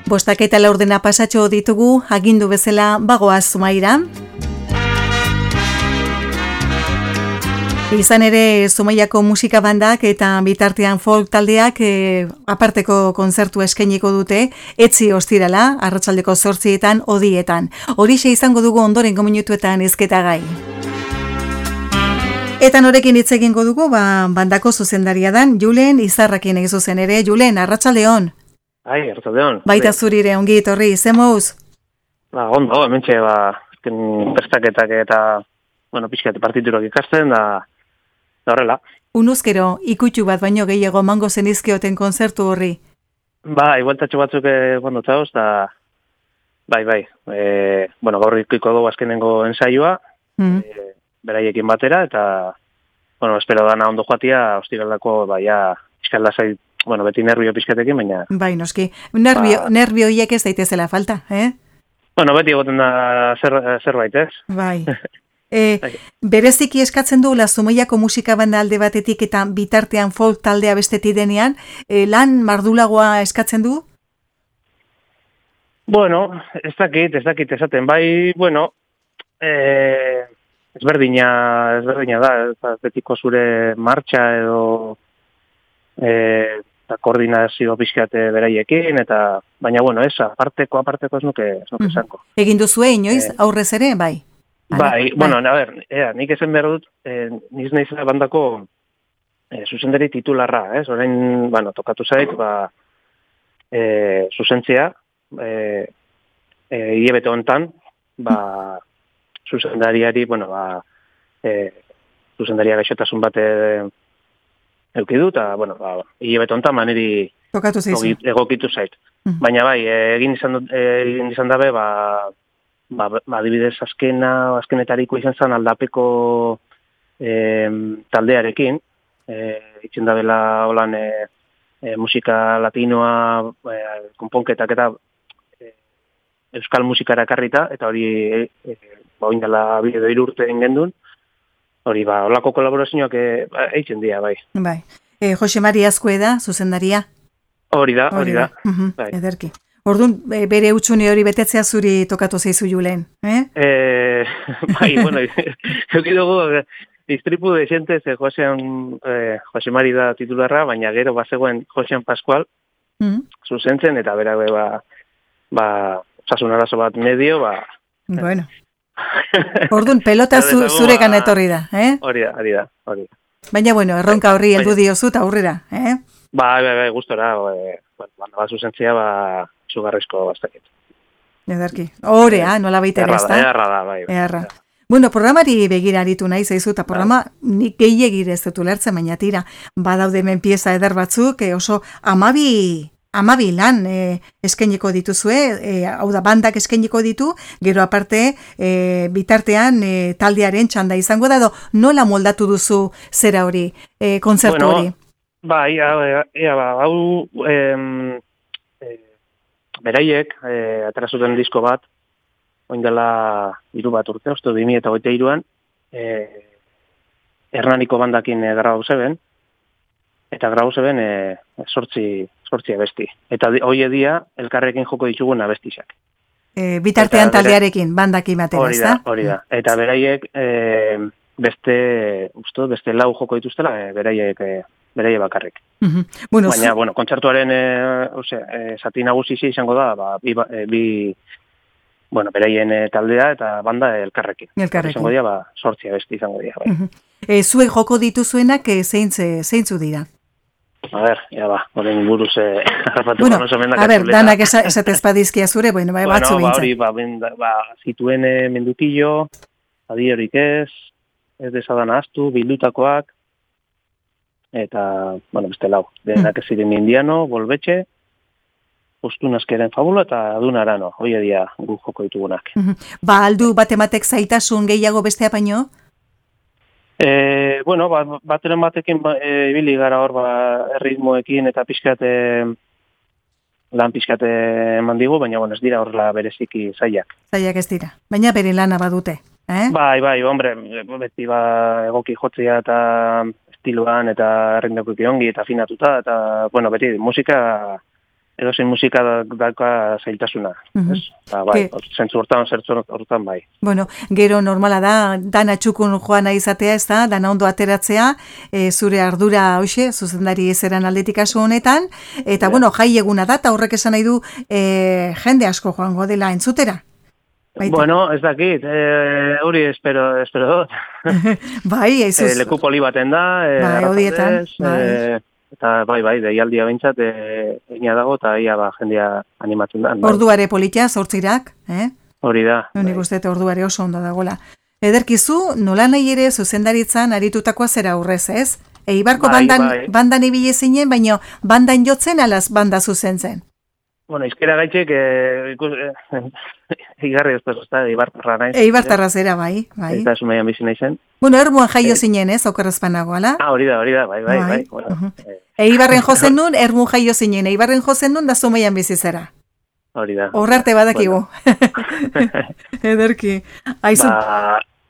Bostak eta laurdena pasatxo ditugu, agindu bezala bagoaz Zumaira. Izan ere, Zumaiako musika bandak eta bitartean folk taldeak aparteko kontzertu eskainiko dute, etzi ostirala, arratsaldeko 8etan, odietan. Horixe izango dugu ondorengo minutuetan ezketagai. Eta norekin hitz egingo dugu, bandako zuzendaria dan, Julen Izarrakin egin zuzen ere. Julen, arratsaldeon. Ai, arratsaldeon. Baita zurire, ongi etorri, zemouz? Ondo, hementxe, prestaketak eta, pixkat partiturak ikasten, da horrela. Unuzkero, ikutxu bat baino gehiago mango zenizkioten konzertu horri? Igualtatxo batzuk txauz, da, bai. Gaur ikuiko dugu azkenengo ensaioa, beraiekin batera, eta, espero dana ondo joatia, ostiraldako, pixkat lasai, beti nervio pixkatekin, baina... Bai, noski, nervio hiek ez daitezela falta, Beti egoten da zerbait, ez? Bai. Bereziki eskatzen du Zumaiako musika banda alde batetik eta bitartean folk taldea bestetik denean, lan mardulagoa eskatzen du? Ez dakit esaten, ezberdina da, betiko zure martxa edo eta koordinazio pixkate beraiekin, eta baina ez, aparteko ez nuke esango. Egin duzue inoiz, aurrez ere, bai? Nik esan behar dut, niz naizela bandako zuzendari titularra, ez? Orain, tokatu zait, zuzentzea, hilabete hontan, zuzendariari, zuzendaria gaixotasun bat eukidu, eta, hilabete hontan maneri egokitu zait. Baina egin izan dabe, adibidez azkenetariko izan zen aldapeko taldearekin, itzen dabela holan musika latinoa, konponketak eta euskal musikara karrita, eta hori oindala bideo 3 urte gendun, hori holako kolaborazioak eitzen dira, bai. Bai. Jose Mari Azkueda, zuzendaria? Hori da. Ederki. Orduan, bere utxune hori betetzea zuri tokatu zeizu Julen, euki dugu, distripu de xente, Jose Mari da titularra, baina gero bazegoen Josean Pascual, zuzentzen, eta bera, osasun arazo bat medio, Bueno. Orduan, pelota zurekan etorri da, Hori da. Baina, erronka horri heldu diozu eta aurrera, gustora, zuzentzia, zugarrizko bastakit. Ederki. Horea, nola baita ere, ez da? Eharra da, bai. Eharra. Programari begira aritu nahi zaizu, eta programa nik gehiagir ez dut ulertzen, baina tira, badaude hemen pieza eder batzuk, oso amabi lan eskainiko dituzue, hau da, bandak eskainiko ditu, gero aparte, bitartean taldearen txanda izango da, nola moldatu duzu zera hori, kontzertu hori? Hau beraiek aterazuten disko bat, oindela 3 urte, 2023an, Hernaniko bandakin grabau zeben, eta grabau zeben 8 abesti. Eta hoi edia, elkarrekin joko ditugun abestizak. Bitartean taldearekin, bandakin batera, ez da? Hori da. Eta beraiek beste 4 joko dituztela, beraiek bakarrik. Baina, kontzertuaren zati nagusi izango da, beraien taldea eta banda elkarrekin. Izango dira, 8 abesti izango dira. Zuek joko dituzuenak zeintzu dira? Horren buruz harrapatu oso mendak. Danak esatez padizkia zure, batzu bintzen. Zituen mendutillo, adiorik ez desadan ahaztu, bildutakoak, eta, beste lau. Denak ez ziren indiano, bolbetxe, Ostunazkeren fabula eta Adunarano, hoi edia gu joko ditugunak. Aldu batematek zaitasun gehiago bestea baino? Bateren batekin ibili gara hor erritmoekin eta lan pixkate eman digu, baina ez dira horrela bereziki zaiak. Zaiak ez dira, baina bere lana badute. Bai, beti egoki jotzea eta estiloan eta errindako ongi eta afinatuta, eta, beti musika edozein musika dauka zailtasuna. Bai, zentzu hortan bai. Bueno, gero normala da, dana txukun joana izatea, ez da, dana ondo ateratzea, zure ardura hoxe, zuzendari ezeran aldetik aso honetan, eta bueno, jai eguna da, eta horrek esan nahi du jende asko joango dela entzutera. Baita. Bueno, ez dakit, hori espero dut. Bai, aizuz. Leku poli baten da, bai, odietan, bai. Eta bai, deialdia behintzat, egina dago, eta ia jendea animatzen da. Bai. Orduare politia, zortzirak, Hori da. Nik uste orduare oso ondo dagoela. Ederkizu, nola nahi ere zuzendaritzan aritutakoa zera aurrez, ez? Eibarko bandan ibile zinen, baina bandan jotzen alaz banda zuzentzen. Bueno, izkera gaitxek, igarri ez da, Eibartarra naiz. Eibartarra zera, bai. Eta Zumaian bizi naizen. Bueno, ermuan jaio zinen, ez, okerrezpanago, ala? Hori da, bai. Bueno, Eibarren jozen nun, ermuan jaio zinen, Eibarren jozen nun, da Zumaian bizi zera. Hori da. Horrarte badakigu. Ederki.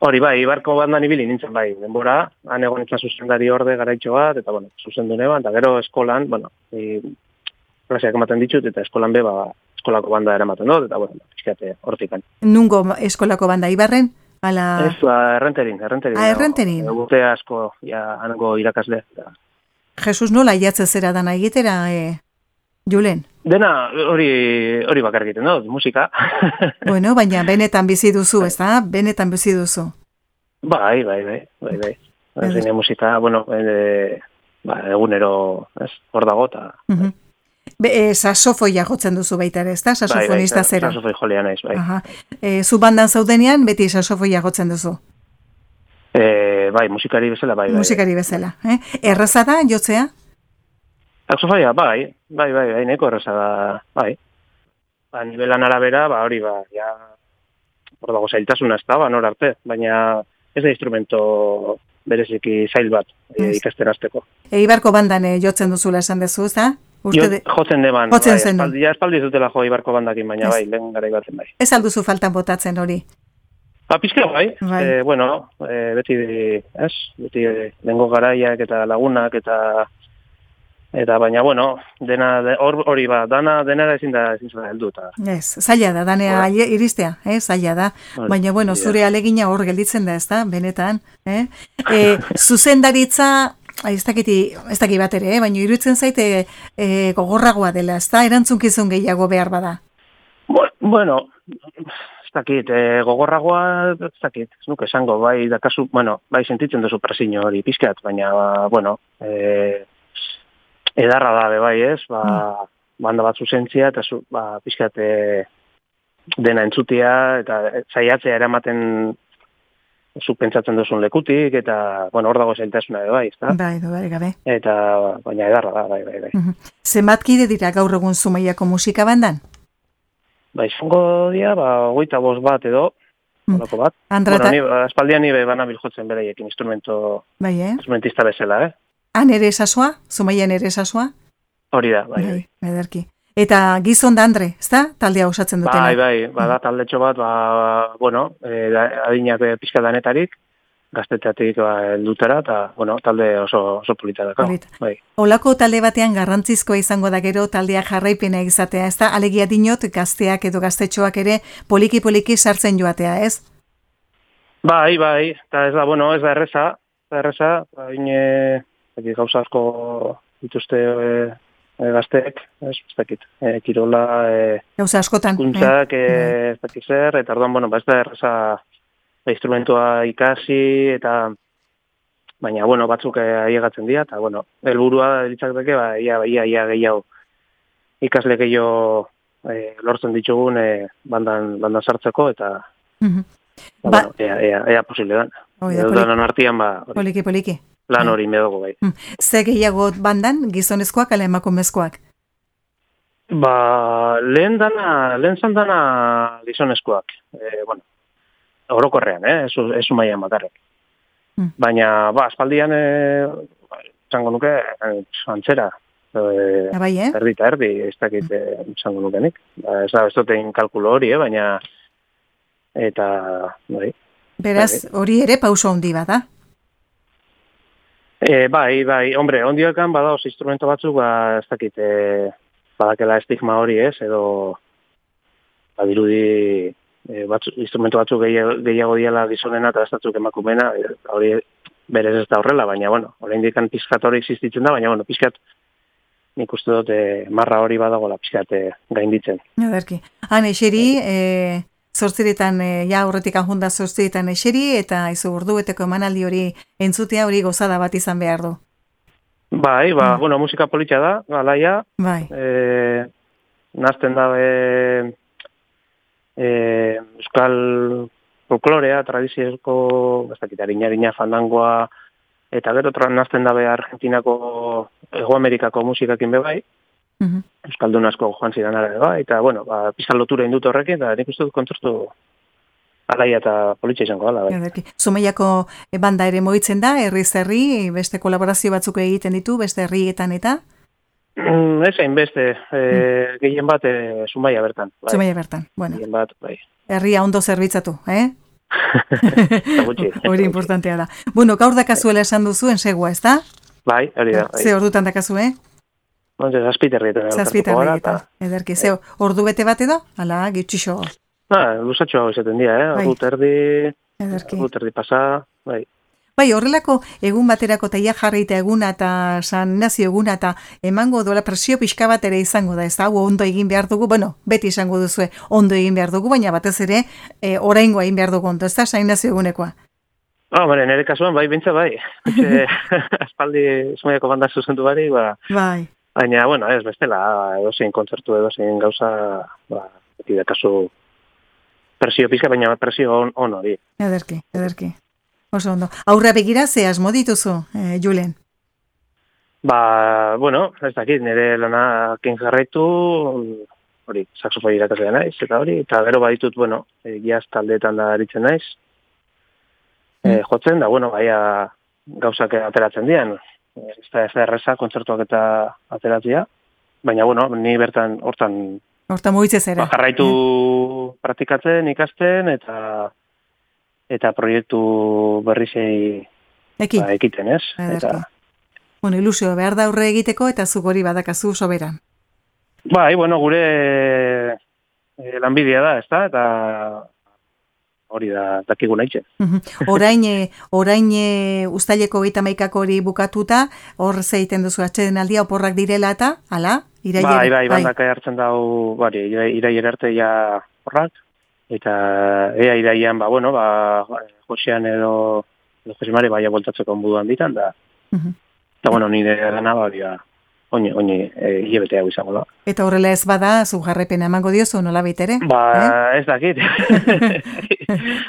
Hori bai, Eibarko bandan ibili nintzen bai, denbora, han egon nintzen zuzendari orde garaitxo bat, eta bueno, zuzendu neban, eta gero eskolan, bueno, klaseak ematen ditut, eta eskolan be, eskolako banda eramaten dut, eta bueno, izkiate hortikan. Nungo eskolako banda, Ibarren? Ala... Ez, errenterin. Errenterin? Gute asko, hango irakasle. Jesus, nola jatze zera dana egitera, Julen? Dena hori bakar egiten dut, musika. Bueno, baina benetan bizi duzu, ez da? Benetan bizi duzu. Bai. Zine musika, bueno, egunero, hor dago, eta... Sasofoia jotzen duzu baita ere, ez da? Sasofonista zera. Sasofoi jolea naiz, bai. Zu bandan zaudenean, beti sasofoia jotzen duzu? Bai, musikari bezala, bai. Musikari bezala, Erraza da, jotzea? Sasofoia, bai, neko erraza da, bai. Nivelan arabera, hori, ja, hor dago zailtasuna ez da, nor arte, baina ez da instrumento bereziki zail bat ikasten hasteko. Eibarko bandan jotzen duzula esan dezu, ez da? Jotzen deban, espaldi zutela jo Eibarko bandakin, baina bai, lehen gara ibatzen bai. Ez alduzu faltan botatzen hori? Pizkeo bai, bueno, beti lehengo garaiak eta lagunak eta baina, bueno, hori denara ezin da heldu. Ez, zaila da, danea iristea, zaila da. Baina, bueno, zure alegina hor gelditzen da, ez da, benetan. Zuzendaritza... Ez dakit bat ere, baina iruditzen zaite gogorragoa dela, ez da, erantzunkizun gehiago behar bada? Bueno, ez dakit, gogorragoa, ez dakit, ez nuke esango, bai, dakazu, bueno, bai sentitzen duzu presiño hori pizkat, baina, bueno, edarra da, bai, ez, banda bat zuzentzia, eta pizkat dena entzutia, eta zaiatzea eramaten zuk pentsatzen duzun lekutik, eta, bueno, hor dago zailtasuna edo bai, ezta? Bai, gabe. Eta, baina edarra da, bai. Zenbat kide dira gaur egun Zumaiako musika bandan? Izango dira, 25 bat edo, horako bat. Espaldian nire banabil jotzen beraiekin instrumentista bezala, Han ere esasua? Zumaian ere esasua? Hori da, bai. Ederki. Eta gizon da Andre, ez da? Taldea osatzen dutena. Bai, bada taldetxo bat, bueno, adinak pizka danetarik, gazteteatik heldutera, eta, bueno, talde oso polita da. Bai. Olako talde batean garrantzizkoa izango da gero taldea jarraipena izatea, ez da? Alegia dinot, gazteak edo gaztetxoak ere poliki sartzen joatea, ez? Bai, eta ez da, bueno, ez da erreza, gauza asko dituzte gazteek, ez dakit, kirola, gauza askotan, kuntzak, ez dakit zer, eta orduan, bueno, ez da erreza instrumentua ikasi, eta baina, bueno, batzuk aiegatzen dira, eta, bueno, helburua ditzaketeke, ia gehiago ikasle gehiago lortzen ditugun bandan sartzeko, eta bueno, ea posible dan. Danan artian, poliki. Lan hori medogo bai. Ze gehiago bandan, gizonezkoak ala emakumezkoak? Lehen zan dana gizonezkoak. Bueno, orokorrean, ez Zumaian bakarrik. Baina, aspaldian, zango nuke, antzera. Erdi eta erdi, ez dakit zango nukenik. Ez duten kalkulo hori, baina, eta, bai. Beraz, hori ere pauso handi bada? Bai, hombre, ondioekan badaoz instrumento batzuk, ez dakit, badakela estigma hori ez, edo badirudi instrumentu batzuk gehiago diala gizonena eta batzuk emakumena, hori berez ez da horrela, baina, bueno, oraindik pizkat hori existitzen da, baina, bueno, pizkat nik uste dut marra hori badagoela pizkat gainditzen. Ederki. Han eseri, zortziretan, ja horretik anjunda zortziretan eseri, eta izu ordubeteko emanaldi hori entzutea hori gozada bat izan behar du. Bai, bueno, musika politxa da, alaia. Bai. Nazten da euskal folklorea, tradiziozko, harina fandangoa, eta gero nazten dabe Argentinako, Ego Amerikako musikakin bebai, euskaldun asko joan zidan ara bebai, eta, bueno, pizkan lotura indut horrekin, eta nik uste dut kontzertu alaia eta politxa izango gala. Bai. Zumaiako banda ere moitzen da, herri-zerri, beste kolaborazio batzuk egiten ditu, beste herrietan eta? Ezein beste, gehien bat Zumaia bertan. Bai. Zumaia bertan, bueno. Gehien bat, bai. Herria ondo zerbitzatu, Hori importantea da. Bueno, gaur dakazuela esan duzu, ensegua, ez da? Bai, hori da. Bai. Ze ordutan dakazu, Zazpiterrietan. Zazpiterrietan, ederki. Ze ordu bete bat edo? Ala, gitxixo. Lusatxo hau izaten dira, ordu terdi pasa, bai. Bai, horrelako egun baterako taia jarrita eguna eta San Ignacio eguna eta emango dola presio pixka bat ere izango da, ez da, ondo egin behar dugu, bueno, beti izango duzue ondo egin behar dugu, baina batez ere oraingoa egin behar dugu ondo, ez da, San Ignacio egunekoa? Nire kasuan, bai, bintza, bai. Aspaldi Zumaiako banda zuzendu bari, bai. Baina, bueno, ez bestela, edozein kontzertu, edozein gauza, beti da kasu presio pixka, baina presio on hori. Ederki. Oso ondo. Aurra begira, ze asmo dituzu, Julen? Bueno, ez dakit, nire lanakin jarraitu, hori, saxofoi irakasea naiz, eta hori, eta gero baditut, bueno, jazz taldeetan da aritzen naiz, jotzen, da, bueno, baia gauzak ateratzen dian, ez da erreza, kontzertuak eta ateratzea, baina, bueno, ni bertan, hortan mugitzez era. Jarraitu praktikatzen, ikasten, eta proiektu berrizei ekiten, ez? Bueno, ilusio behar da aurre egiteko eta zuk hori badakazu soberan. Bai, bueno, gure lanbidea da, ez da? Eta hori da dakigu nahitzen. Orain uztaileko 31 hori bukatuta, hor zeiten duzu atxeden aldia oporrak direla eta, ala? Bai, bandaka hartzen dau, irailera arte ja horrak. Eta iraian, Josean edo Josemare baia voltatzeko onbuduan ditan, da. Eta, bueno, nire gana, oini hilabete hau izango da. Eta horrela ez bada, zu jarrepena emango diozu, nola baitere? Ez dakit.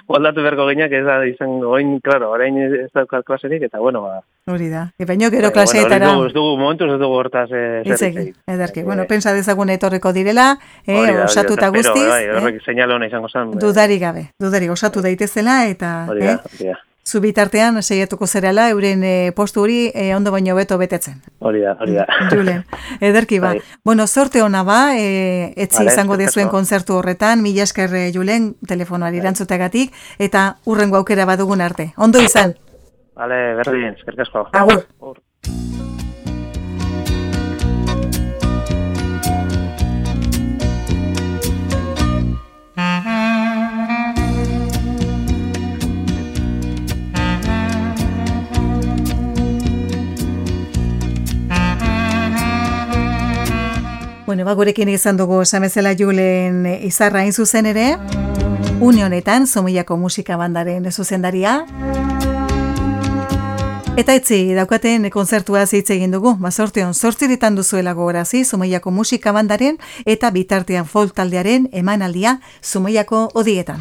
Moldatu berko gineak ez da izango, orain ez daukat klaserik, eta, hori da. Baina gero klaseetara... Momentuz ez dugu hortaz zerrik. Ederki. Bueno, pensa dezagun etorreko direla, osatuta guztiz. Horrek seinale hona izango zen. Dudarik gabe, osatu daitezela, eta... Hori da. Zu bitartean saiatuko zerala euren postu hori ondo baino beto betetzen. Hori da. Julen, ederki ba. Bueno, sorte ona ba, etzi izango dezuen kontzertu horretan, mila esker Julen, telefonoari erantzuteagatik, eta hurrengo aukera badugun arte. Ondo izan? Vale, berdin, eskerrik asko. Agur. Bueno, gurekin izan dugu esamezela Julen izarra hain zuzen ere, une honetan Zumaiako musika bandaren zuzendaria. Eta etzi daukaten kontzertua hitz egin dugu, sorteon 8 duzuela gogorazi Zumaiako musika bandaren eta bitartean folk taldearen emanaldia Zumaiako odietan.